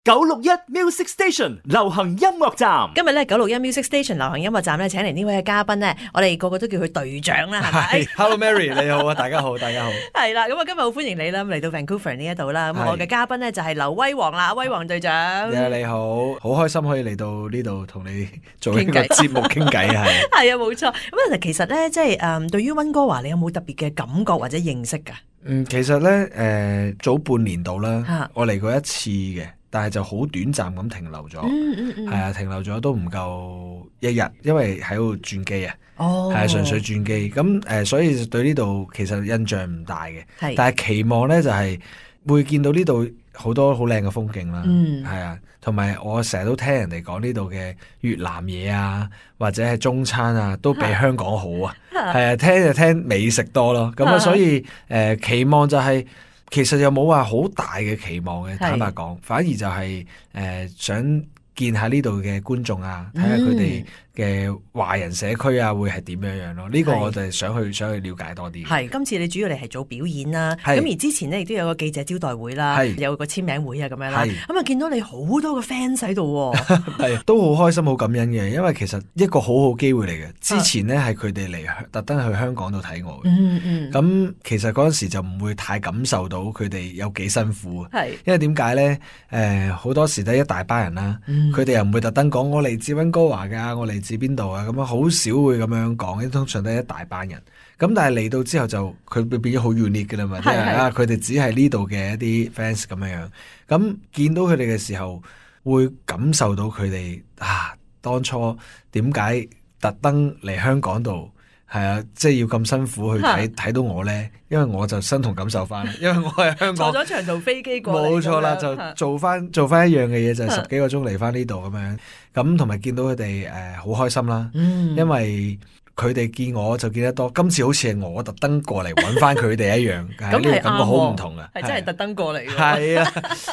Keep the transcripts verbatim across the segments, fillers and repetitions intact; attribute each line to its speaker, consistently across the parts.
Speaker 1: 九六一 Music Station 流行音樂站，
Speaker 2: 今日咧九六一 Music Station 流行音樂站咧，請嚟呢位嘅嘉賓咧，我哋個個都叫佢隊長啦，係咪
Speaker 3: ？Hello Mary， 你好啊，大家好，大家好。
Speaker 2: 係啦，咁啊今日好歡迎你啦，嚟到 Vancouver 呢一度啦。咁我嘅嘉賓咧就係劉威煌啦，威煌隊長。
Speaker 3: Yeah, 你好，好開心可以嚟到呢度同你做一個節目傾偈，係。
Speaker 2: 係啊，冇錯。咁啊，其實咧，即係誒，對於溫哥華，你有冇特別嘅感覺或者認識㗎？
Speaker 3: 嗯，其實咧，誒、呃，早半年度啦，我嚟過一次嘅。但係就好短暫咁停留咗，係、嗯嗯嗯、啊，停留咗都唔夠一日，因為喺度轉機啊，係、哦、啊，純粹轉機，咁誒、呃，所以對呢度其實印象唔大嘅，但係期望咧就係、是、會見到呢度好多好靚嘅風景啦，係、嗯、啊，同埋我成日都聽人哋講呢度嘅越南嘢啊，或者係中餐啊，都比香港好啊，係啊，聽就聽美食多咯，咁啊，所以誒、呃、期望就係、是。其實又冇話好大嘅期望嘅，坦白講，反而就係、是、誒、呃、想見下呢度嘅觀眾啊，睇下佢哋嘅華人社區啊，會係點樣樣咯？呢、這個我就係想去想去了解多啲。係今
Speaker 2: 次你主要嚟係做表演啦，咁而之前呢亦都有個記者招待會啦，有個簽名會啊咁樣啦。咁啊見到你好多個 fans 喺度，
Speaker 3: 係都好開心好感恩嘅，因為其實一個好好機會嚟嘅。之前呢係佢哋嚟特登去香港度睇我嘅，嗯嗯。咁其實嗰陣時就唔會太感受到佢哋有幾辛苦，係因為點解咧？誒、呃，好多時都一大班人啦，佢、嗯、哋又唔會特登講我嚟自溫哥華噶，我嚟自邊度啊？咁樣好少會咁樣講，通常都係一大班人。咁但係嚟到之後就佢變咗好 unique 噶啦嘛，即係啊，佢哋只係呢度嘅一啲 fans 咁樣樣。咁見到佢哋嘅時候，會感受到佢哋啊，當初點解特登嚟香港度？係啊，即係要咁辛苦去睇睇到我咧，因為我就身同感受翻，因為我係香港
Speaker 2: 坐咗長途飛機過嚟，
Speaker 3: 冇錯啦，就做翻做翻一樣嘅嘢，就係、是、十幾個鐘嚟翻呢度咁樣，咁同埋見到佢哋誒好開心啦、嗯，因為佢哋見我就見得多，今次好似係我特登過嚟揾翻佢哋一樣，咁呢個感覺好唔同啊，
Speaker 2: 係真係特登過嚟，
Speaker 3: 係啊，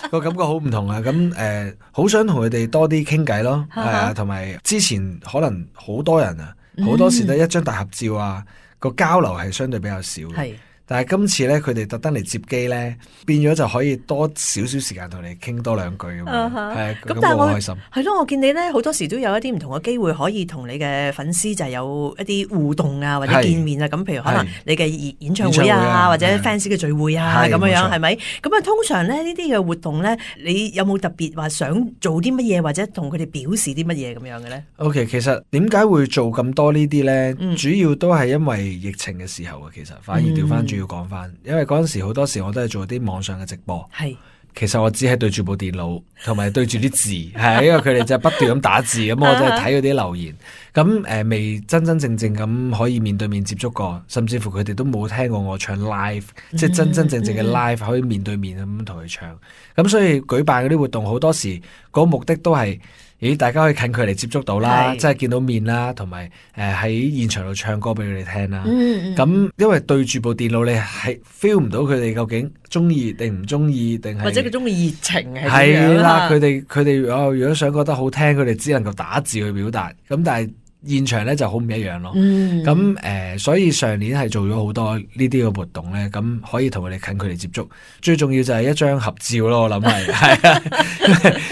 Speaker 3: 個感覺好唔同啊，咁誒好想同佢哋多啲傾偈咯，係啊，同埋之前可能好多人啊。好多時都一張大合照啊，個交流係相對比較少嘅。但係今次咧，佢哋特登嚟接機咧，變咗就可以多少少時間同你傾多兩句咁樣，係咁但係我開心。
Speaker 2: 係咯，我見你咧好多時都有一啲唔同嘅機會可以同你嘅粉絲就係有一啲互動啊，或者見面啊。咁譬如可能你嘅演唱會啊，會啊或者 fans 嘅聚會啊咁樣樣，係咪？咁啊，通常咧呢啲嘅活動咧，你有冇特別話想做啲乜嘢，或者同佢哋表示啲乜嘢咁樣嘅咧
Speaker 3: ？OK， 其實點解會做咁多呢啲咧、嗯？主要都係因為疫情嘅時候啊，其實反而調翻轉。要講翻，因為嗰陣時好多時我都係做啲網上嘅直播，係其實我只係對住部電腦，同埋對住啲字，係因為佢哋就不斷咁打字，咁我都係睇嗰啲留言，咁誒、呃、未真真正正咁可以面對面接觸過，甚至乎佢哋都冇聽過我唱 live，、嗯、即係真真正正嘅 live、嗯、可以面對面咁同佢唱，咁所以舉辦嗰啲活動好多時嗰個目的都係。咦，大家可以近距離接觸到啦，即係見到面啦，同埋誒喺現場度唱歌俾佢哋聽啦。咁、嗯、因為對住部電腦，你係 feel 唔到佢哋究竟中意定唔中意，定係
Speaker 2: 或者佢中意熱情係點樣？
Speaker 3: 係啦，佢哋佢哋哦，如果想覺得好聽，佢哋只能夠打字去表達。咁但係現場咧就好唔一樣咯。咁、嗯、誒、呃，所以上年係做咗好多呢啲嘅活動咧，咁可以同佢哋近距離接觸。最重要就係一張合照咯，我諗係係啊，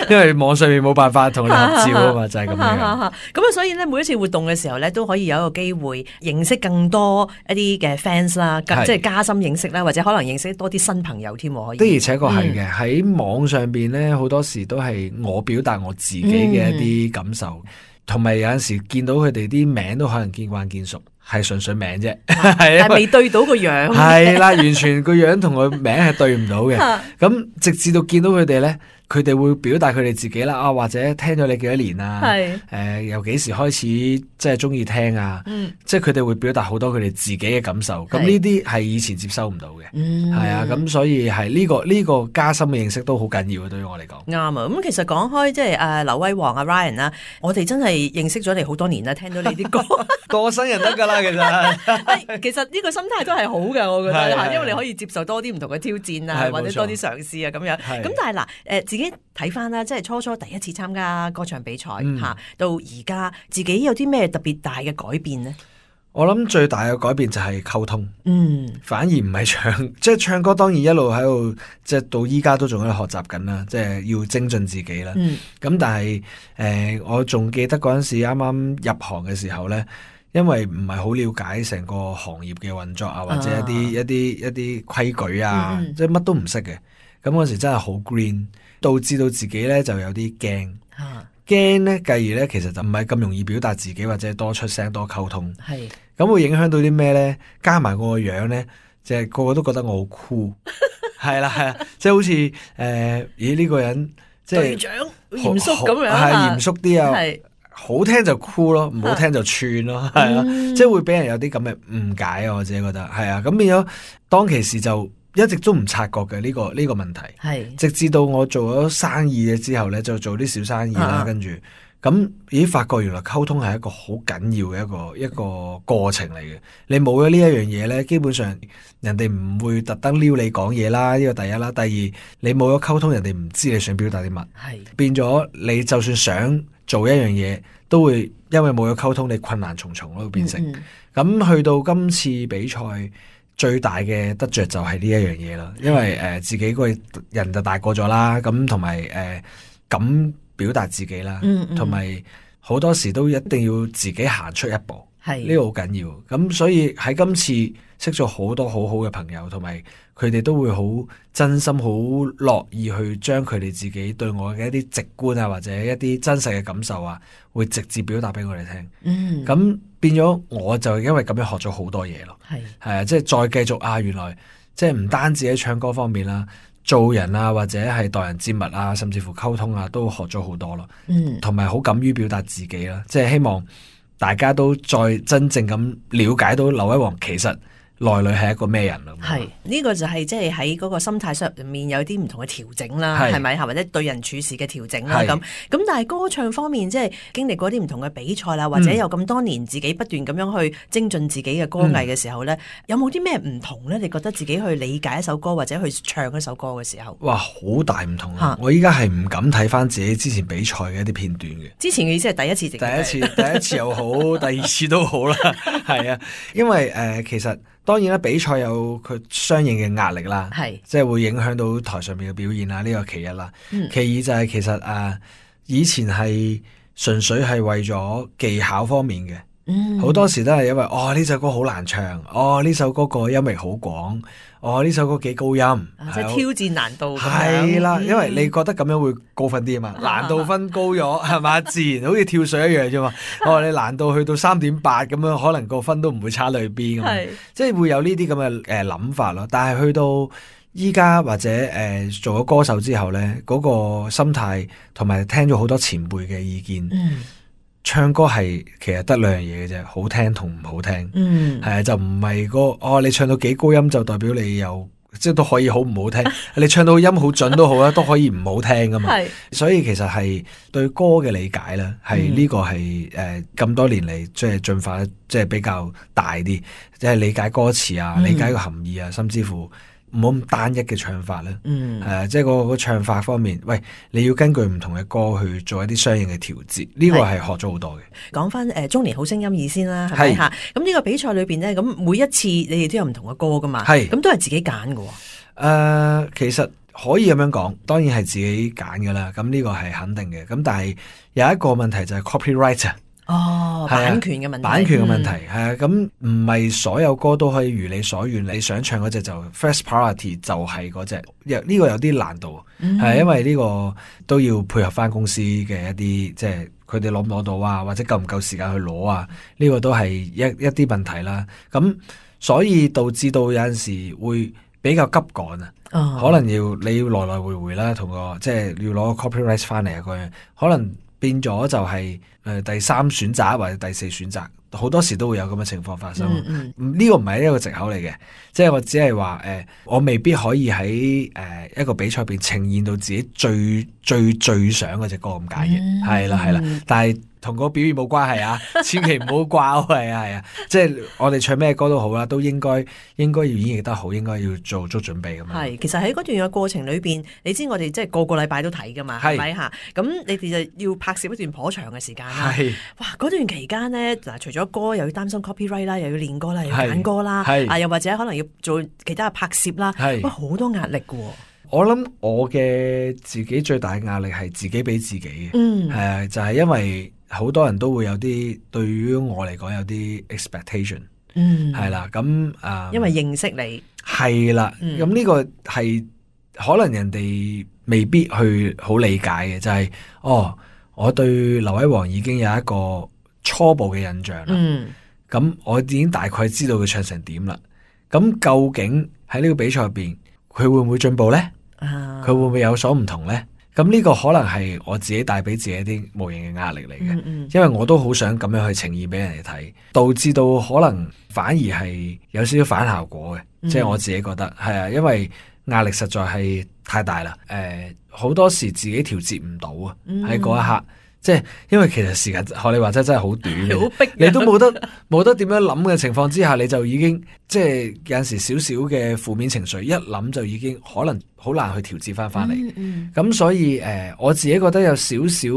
Speaker 3: 因為網上面冇辦法同佢哋合照啊嘛，就係咁樣。咁啊，
Speaker 2: 所以咧每一次活動嘅時候咧，都可以有一個機會認識更多一啲嘅 fans 啦，即係加深認識啦，或者可能認識多啲新朋友添。可以
Speaker 3: 的而且確係嘅，喺、嗯、網上邊咧好多時都係我表達我自己嘅一啲感受。嗯同埋有陣時見到佢哋啲名都可能見慣見熟，係純粹名啫，係
Speaker 2: 啊，未對到個樣，
Speaker 3: 係啦，完全個樣同個名係對唔到嘅。咁直至到見到佢哋咧，佢哋會表達佢哋自己啦，啊或者聽咗你幾多年啊，誒、呃、由幾時開始即係中意聽啊，嗯、即係佢哋會表達好多佢哋自己嘅感受。咁呢啲係以前接收唔到嘅，係、嗯、啊，咁所以係呢、這個呢、這個加深嘅認識都好緊要嘅，對於我嚟講。
Speaker 2: 啱啊！咁其實講開即係誒劉威煌啊 Ryan 啦，我哋真係認識咗你好多年啦，聽到你啲歌
Speaker 3: 過新人得㗎啦，其實
Speaker 2: 其實呢個心態都係好嘅，我覺得，因為你可以接受多啲唔同嘅挑戰啊，或者多啲嘗試啊咁樣。咁但係嗱誒自己睇翻啦，即係初初第一次參加歌唱比賽嚇、嗯，到而家自己有啲咩特別大嘅改變呢？
Speaker 3: 我諗最大嘅改變就係溝通，
Speaker 2: 嗯，
Speaker 3: 反而唔係唱，即係唱歌當然一路喺度，即係到依家都仲喺度學習緊啦，即係要精進自己啦。咁、嗯、但係誒、呃，我仲記得嗰陣時啱啱入行嘅時候咧，因為唔係好了解成個行業嘅運作啊，或者一啲、啊、一啲一啲規矩啊，嗯、即係乜都唔識嘅。咁嗰時真係好 green， 導致到自己咧就有啲驚。啊驚咧，繼而咧，其實就唔係咁容易表達自己，或者多出聲、多溝通。係咁會影響到啲咩咧？加埋我個樣咧，即係個個都覺得我好酷。係啦係啦，即係好似誒，咦呢個人即係隊長嚴肅咁樣，係嚴肅啲啊，係好聽就酷咯，唔好聽就串咯，係啊，即係會俾人有啲咁嘅誤解啊，我自己覺得係啊，咁變咗當其時就。一直都唔察覺嘅呢、這個呢、這個問題，係直至到我做咗生意嘅之後咧，就做啲小生意啦，啊、跟住咁已經發覺原來溝通係一個好緊要嘅一個一個過程嚟嘅。你冇咗呢一樣嘢咧，基本上人哋唔會特登撩你講嘢啦。呢個第一啦，第二你冇咗溝通，人哋唔知你想表達啲乜，係變咗你就算想做一樣嘢，都會因為冇咗溝通，你困難重重咯，會變成咁、嗯嗯、去到今次比賽。最大嘅得着就係呢一樣嘢啦，因為誒、呃、自己個人就大個咗啦，咁同埋誒敢表達自己啦，同埋好多時都一定要自己行出一步，係呢個好緊要。咁所以喺今次識咗好多好好嘅朋友，同埋佢哋都會好真心、好樂意去將佢哋自己對我嘅一啲直觀啊，或者一啲真實嘅感受啊，會直接表達俾我哋聽。嗯，咁。變咗我就因為咁樣學咗好多嘢咯，係係啊，即係再繼續啊，原來即係唔單止喺唱歌方面啦，做人啊或者係待人接物啊，甚至乎溝通啊，都學咗好多咯。嗯，同埋好敢於表達自己啦，即係希望大家都再真正咁了解到劉威煌其實內裏係一個咩人咯？
Speaker 2: 係呢、呢個就係即係喺嗰個心態上面有啲唔同嘅調整啦，係咪？或者對人處事嘅調整啦咁。咁但係歌唱方面，即係經歷過啲唔同嘅比賽啦，或者有咁多年自己不斷咁樣去精進自己嘅歌藝嘅時候咧，嗯、有冇啲咩唔同咧？你覺得自己去理解一首歌或者去唱一首歌嘅時候，
Speaker 3: 哇，好大唔同啊！我依家係唔敢睇翻自己之前比賽嘅一啲片段嘅。
Speaker 2: 之前嘅意思係第一次，
Speaker 3: 第一次，第一次又好，第二次都好啦，係啊，因為誒、呃，其實。當然啦，比賽有佢相應嘅壓力啦，係即係會影響到台上面嘅表現啦，呢個其一啦。嗯、其二就係其實誒、呃，以前係純粹係為咗技巧方面嘅，好、嗯、多時都係因為哦呢首歌好難唱，哦呢首歌個音域好廣，哦呢首歌幾高音，
Speaker 2: 啊、即係挑戰難度。
Speaker 3: 係啦，因為你覺得咁樣會高分啲啊嘛，難度分高咗係嘛，自然好似跳水一樣啫嘛。哦，你難度去到三點八咁樣，可能個分都唔會差裏邊咁，即係會有呢啲咁嘅誒諗法咯。但係去到依家或者誒、呃、做咗歌手之後咧，嗰、嗰個心態同埋聽咗好多前輩嘅意見。嗯唱歌係其實得兩樣嘢嘅啫，好聽同唔好聽。嗯，係啊，就唔係個哦，你唱到幾高音就代表你有即係都可以好唔好聽。你唱到音好準都好啦，都可以唔好聽噶嘛。係，所以其實係對歌嘅理解咧，係呢個係誒咁多年嚟即係進化即係比較大啲，即係理解歌詞啊，理解個含義啊，甚至乎。唔好咁單一嘅唱法咧，嗯，誒、呃，即係個個唱法方面，喂，你要根據唔同嘅歌去做一啲相應嘅調節，呢、這個係學咗好多嘅。
Speaker 2: 講翻誒中年好聲音二先啦，係咪吓？咁呢個比賽裏邊咧，咁每一次你哋都有唔同嘅歌噶嘛，係，咁都係自己揀嘅。誒、
Speaker 3: 呃，其實可以咁樣講，當然係自己揀噶啦，咁呢個係肯定嘅。咁但係有一個問題就係 copyright。
Speaker 2: 哦，版權嘅問題，
Speaker 3: 版權嘅問題係啊，咁唔係所有歌都可以如你所願，你想唱嗰隻就 first priority 就係嗰隻，呢個有啲難度，係、嗯、因為呢個都要配合翻公司嘅一啲，即係佢哋攞唔攞到啊，或者夠唔夠時間去攞啊，呢、這個都係一一啲問題啦。咁所以導致到有陣時會比較急趕啊，哦、可能要你要來來回回啦，同個即係要攞個 copyright 翻嚟啊，嗰樣可能。變咗就係、是、誒、呃、第三選擇或者第四選擇，好多時都會有咁嘅情況發生。呢、嗯嗯、個唔係一個藉口嚟嘅，即係我只係話誒，我未必可以喺誒、呃、一個比賽入邊呈現到自己最最最想嗰隻歌咁解嘅，係啦係啦。但係同個表現冇關係啊，千祈唔好掛，係啊係啊，即係我哋唱咩歌都好啦，都應該應該要演繹得好，應該要做足準備咁樣。係，
Speaker 2: 其實喺嗰段嘅過程裏邊，你知我哋即係個個禮拜都睇噶嘛，係咪吓？咁你哋就要拍攝一段頗長嘅時間啦。係，哇！嗰段期間咧，嗱，除咗歌又要擔心 copyright 啦，又要練歌啦，又要揀歌啦，啊，又或者可能要做其他嘅拍攝啦，哇，好多壓力噶。
Speaker 3: 我諗我嘅自己最大嘅壓力係自己俾自己嘅，嗯，係啊，就係因為好多人都會有啲對於我嚟講有啲 expectation，嗯，係啦，咁啊，
Speaker 2: 因為認識你
Speaker 3: 係啦，咁呢個係可能人哋未必去好理解嘅，就係哦，我對劉威煌已經有一個初步嘅印象啦，嗯，咁我已經大概知道佢唱成點啦，咁究竟喺呢個比賽入邊佢會唔會進步咧？佢會唔會有所唔同呢？咁呢個可能係我自己帶俾自己一啲無形嘅壓力嚟嘅，嗯嗯，因為我都好想咁樣去呈現俾人哋睇，導致到可能反而係有少少反效果嘅，嗯，即係我自己覺得係啊，因為壓力實在係太大啦。誒、呃，好多時自己調節唔到啊，喺嗰一刻。即係，因為其實時間學你話齋真係好短嘅，好逼，你都冇得冇得點樣諗嘅情況之下，你就已經即係有陣時少少嘅負面情緒，一諗就已經可能好難去調節翻翻嚟。咁、嗯嗯、所以誒、呃，我自己覺得有少少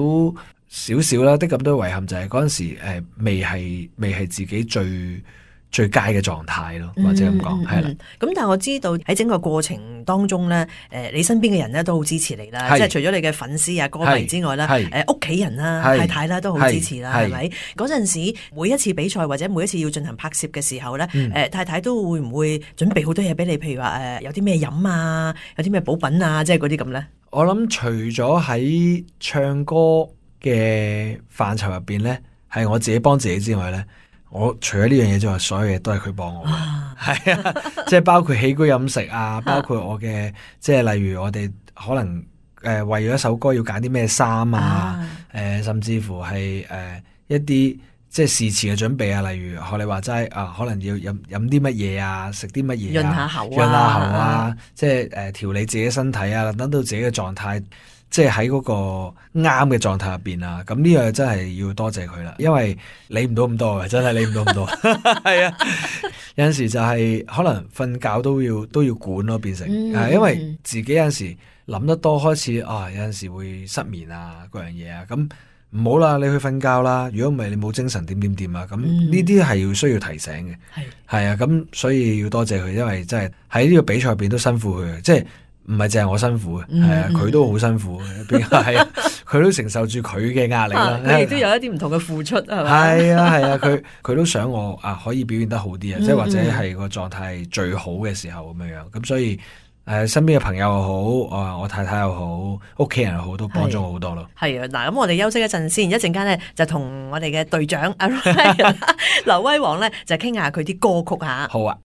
Speaker 3: 少少啦，的咁多遺憾就係嗰陣時誒、呃，未係未係自己最最佳嘅狀態咯，或者咁講係啦。
Speaker 2: 咁但係我知道喺整個過程當中咧，誒，你身邊嘅人咧都好支持你啦，即係除咗你嘅粉絲啊、歌迷之外啦，誒，屋企人啦、太太啦都好支持啦，係咪？嗰陣時每一次比賽或者每一次要進行拍攝嘅時候咧，誒，太太都會唔會準備好多嘢俾你？譬如話誒，有啲咩飲啊，有啲咩補品啊，即係嗰啲咁咧？
Speaker 3: 我諗除咗喺唱歌嘅範疇入邊咧，係我自己幫自己之外咧。我除咗呢樣嘢之外，所有嘢都係佢幫我嘅，係啊，即係包括起居飲食啊，包括我嘅，即係例如我哋可能誒、呃、為咗一首歌要揀啲咩衫啊，誒、呃、甚至乎係誒、呃、一啲即係事前嘅準備啊，例如學你話齋啊，可能要飲飲啲乜嘢啊，食啲乜嘢啊，
Speaker 2: 潤下口啊，
Speaker 3: 潤下喉啊，即係誒調理自己身體啊，等到自己嘅狀態。即係喺嗰個啱嘅狀態入邊啊，咁呢樣真係要多謝佢啦，因為理唔到咁多嘅，真係理唔到咁多，係啊，有陣時就係可能瞓覺都要都要管咯，變成，嗯、因為自己有陣時諗得多，開始啊有陣時會失眠啊，嗰樣嘢啊，咁唔好啦，你去瞓覺啦，如果唔係你冇精神點點點啊，咁呢啲係要需要提醒嘅，係係啊，咁所以要多謝佢，因為真係喺呢個比賽入邊都辛苦佢嘅，即係。唔係淨係我辛苦嘅，係、嗯、啊，佢都好辛苦嘅，係啊，佢都承受住佢嘅壓力啦。
Speaker 2: 佢亦都有一啲唔同嘅付出，係咪？
Speaker 3: 係啊，係啊，佢佢都想我啊可以表現得好啲啊，即係或者係個狀態最好嘅時候咁樣樣。咁所以誒、呃，身邊嘅朋友又好，我我太太又好，屋企人又好，都幫咗我好多咯。
Speaker 2: 係啊，嗱，咁我哋休息一陣先，一陣間咧就同我哋嘅隊長阿劉威煌咧就傾下佢啲歌曲吓。
Speaker 3: 好啊。